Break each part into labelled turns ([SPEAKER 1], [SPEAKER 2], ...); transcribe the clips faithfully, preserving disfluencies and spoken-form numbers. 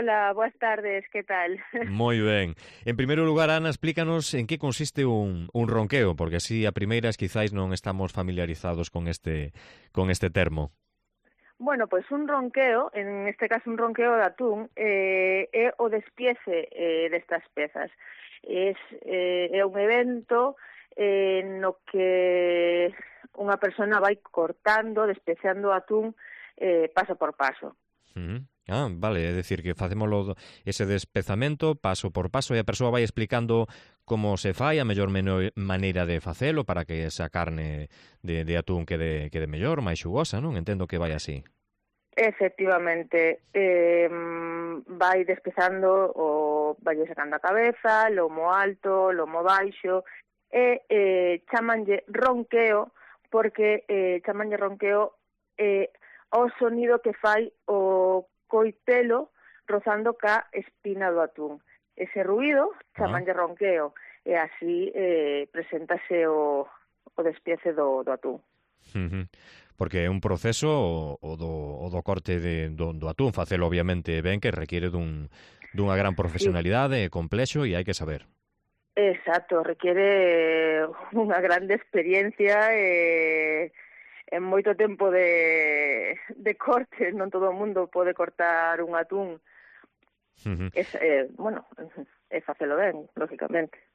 [SPEAKER 1] Hola, boas tardes, que tal?
[SPEAKER 2] Moi ben. En primeiro lugar, Ana, explícanos en que consiste un, un ronqueo, porque así a primeiras quizáis non estamos familiarizados con este con este termo.
[SPEAKER 1] Bueno, pois un ronqueo, en este caso un ronqueo de atún, eh, é o despiece eh, destas pezas. Es, eh, é un evento eh, no que unha persona vai cortando, despeciando o atún eh, paso por paso.
[SPEAKER 2] Uh -huh. Ah, vale, é dicir que facémolo ese despezamento paso por paso e a persoa vai explicando como se fai, a mellor maneira de facelo para que esa carne de, de atún quede, quede mellor, máis xugosa, non? Entendo que vai así.
[SPEAKER 1] Efectivamente, eh, vai despezando o vai sacando a cabeza, lomo alto, lomo baixo, e eh, chamanlle ronqueo porque eh, chamanlle ronqueo eh, o sonido que fai o coitelo rozando ca espina do atún. Ese ruído chamanlle ah. ronqueo e así eh, preséntase o, o despiece do, do atún.
[SPEAKER 2] Uh -huh. Porque é un proceso o, o, do, o do corte de, do, do atún, facelo obviamente ben, que requiere dun, dunha gran profesionalidade, sí. complexo e hai que saber.
[SPEAKER 1] Exacto, requiere unha grande experiencia e en moito tempo de, de corte, non todo o mundo pode cortar un atún. Uh -huh. Es, eh, bueno, é facelo ben, lógicamente.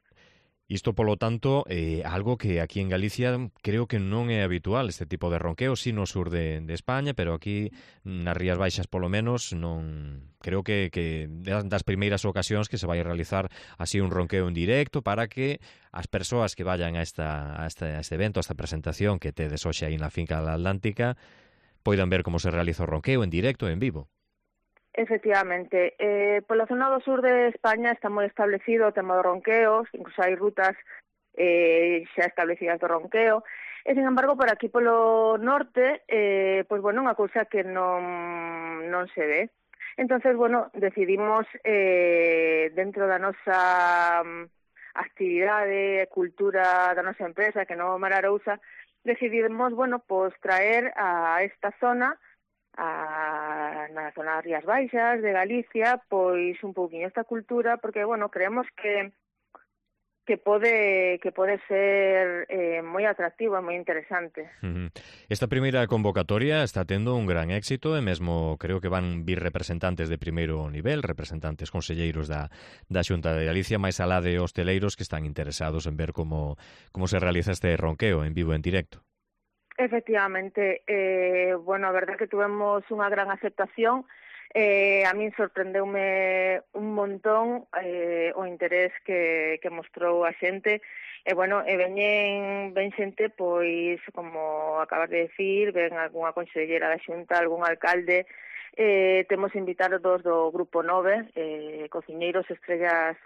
[SPEAKER 2] Isto, polo tanto, é eh, algo que aquí en Galicia creo que non é habitual, este tipo de ronqueo, sí no sur de, de España, pero aquí nas Rías Baixas, polo menos, non creo que, que das primeiras ocasións que se vai a realizar así un ronqueo en directo para que as persoas que vayan a, esta, a, este, a este evento, a esta presentación que tedes hoxe aí na finca da Atlántica, poidan ver como se realiza o ronqueo en directo, en vivo.
[SPEAKER 1] Efectivamente, eh, pola zona do sur de España está moi establecido o tema do ronqueo, incluso hai rutas eh, xa establecidas do ronqueo, e, sin embargo, por aquí polo norte, eh, pois, bueno, unha cousa que non, non se ve. Entonces, bueno, decidimos, eh, dentro da nosa actividade, cultura da nosa empresa, que non Mararousa, decidimos, bueno, pois, traer a esta zona a, na zona das Rías Baixas de Galicia, pois un pouquiño esta cultura, porque, bueno, creemos que que pode que pode ser eh, moi atractivo e moi interesante.
[SPEAKER 2] Uh -huh. Esta primeira convocatoria está tendo un gran éxito e mesmo creo que van vir representantes de primeiro nivel, representantes conselleiros da, da Xunta de Galicia, máis alá de hosteleiros que están interesados en ver como, como se realiza este ronqueo en vivo en directo.
[SPEAKER 1] Efectivamente, eh, bueno, a verdade que tuvemos unha gran aceptación, eh, a min sorprendeume un montón eh, o interés que, que mostrou a xente, e bueno, e veñen, ven xente, pois, como acabas de decir, ven algunha consellera da Xunta, algún alcalde, eh, temos invitados do Grupo nove, eh, cociñeiros estrellas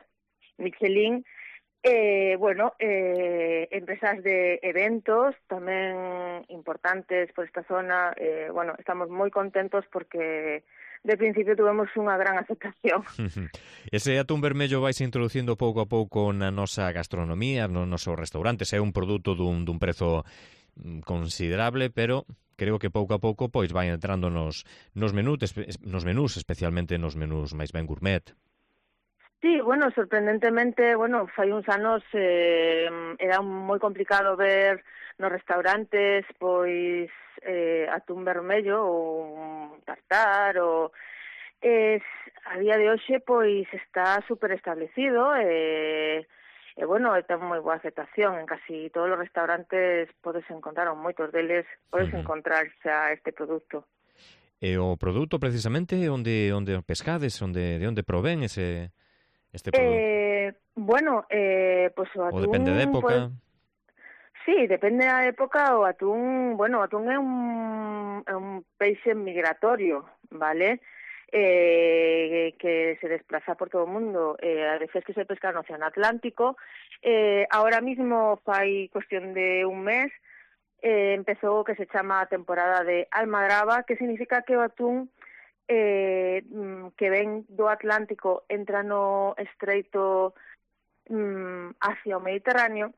[SPEAKER 1] Michelin, Eh, bueno, eh, empresas de eventos tamén importantes por esta zona, eh, bueno, estamos moi contentos porque de principio tuvemos unha gran aceptación.
[SPEAKER 2] Ese atún vermello vais introducindo pouco a pouco na nosa gastronomía, nos nosos restaurantes, é un produto dun, dun prezo considerable, pero creo que pouco a pouco pois vai entrando nos, nos, menús, nos menús, especialmente nos menús máis ben gourmet.
[SPEAKER 1] Sí, bueno, sorprendentemente, bueno, fai uns anos eh, era moi complicado ver nos restaurantes, pois, eh, atún vermello ou un tartar, ou... Es, a día de hoxe, pois, está super establecido e, e bueno, ten moi boa aceptación. En casi todos os restaurantes podes encontrar, ou moitos deles, podes uh -huh. encontrar xa este produto.
[SPEAKER 2] E o produto, precisamente, onde onde pescades, onde de onde provén ese... Este
[SPEAKER 1] eh, bueno, eh, pues o atún...
[SPEAKER 2] O depende de época? Pues,
[SPEAKER 1] sí, depende da época, o atún... Bueno, o atún é un, é un peixe migratorio, vale? Eh, que se desplaza por todo o mundo. Eh, a veces que se pesca no Océano Atlántico. Eh, ahora mismo fai cuestión de un mes, eh, empezou o que se chama a temporada de almadraba, que significa que o atún... Eh, que ven do Atlántico entra no estreito mm, hacia o Mediterráneo,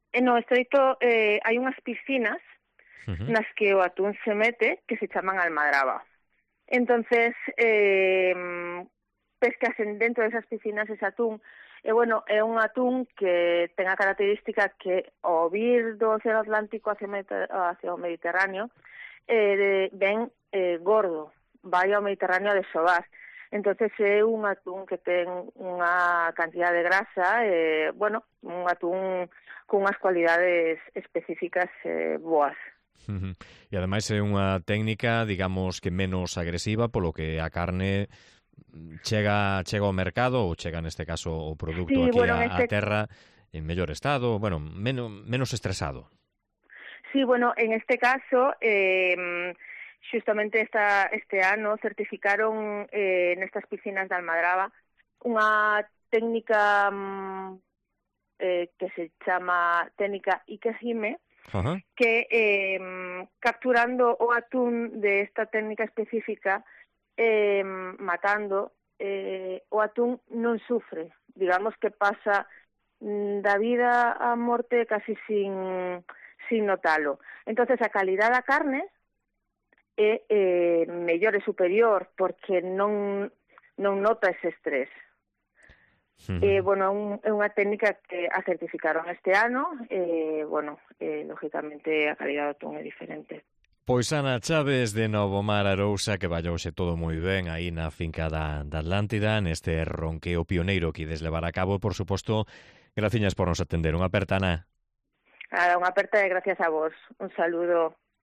[SPEAKER 1] e no estreito eh, hai unhas piscinas uh -huh. nas que o atún se mete, que se chaman almadraba. Entonces, eh, pescasen dentro desas piscinas ese atún. E, bueno, é un atún que ten a característica que ao vir do Océano Atlántico hacia, hacia o Mediterráneo eh, de, ven eh, gordo, vai ao Mediterráneo a desovar. Entonces é un atún que ten unha cantidad de grasa, eh, bueno, un atún con unhas cualidades específicas eh, boas.
[SPEAKER 2] Uh-huh. E ademais é unha técnica, digamos, que menos agresiva, polo que a carne chega chega ao mercado ou chega neste caso o produto
[SPEAKER 1] sí,
[SPEAKER 2] aquí
[SPEAKER 1] bueno,
[SPEAKER 2] a,
[SPEAKER 1] este...
[SPEAKER 2] a terra en mellor estado, bueno, menos menos estresado.
[SPEAKER 1] Sí, bueno, en este caso eh, justamente esta, este ano certificaron eh, nestas piscinas de Almadraba unha técnica eh, que se chama técnica Ikejime, uh-huh. que eh, capturando o atún de esta técnica específica Eh, matando, eh, o atún non sufre, digamos que pasa mm, da vida á morte casi sin, sin notalo. Entonces a calidad da carne é eh, mellor e superior porque non, non nota ese estrés. Uh-huh. Eh, bueno, é, un, é unha técnica que a certificaron este ano, eh, bueno, eh, lógicamente a calidad do atún é diferente.
[SPEAKER 2] Pois Ana Chaves de Novomar Arousa, que vallouse todo moi ben aí na finca da, da Atlántida, neste ronqueo pioneiro que ides levar a cabo, e, por suposto, graciñas por nos atender. Unha aperta, Ana.
[SPEAKER 1] Nada, unha aperta e gracias a vos. Un saludo.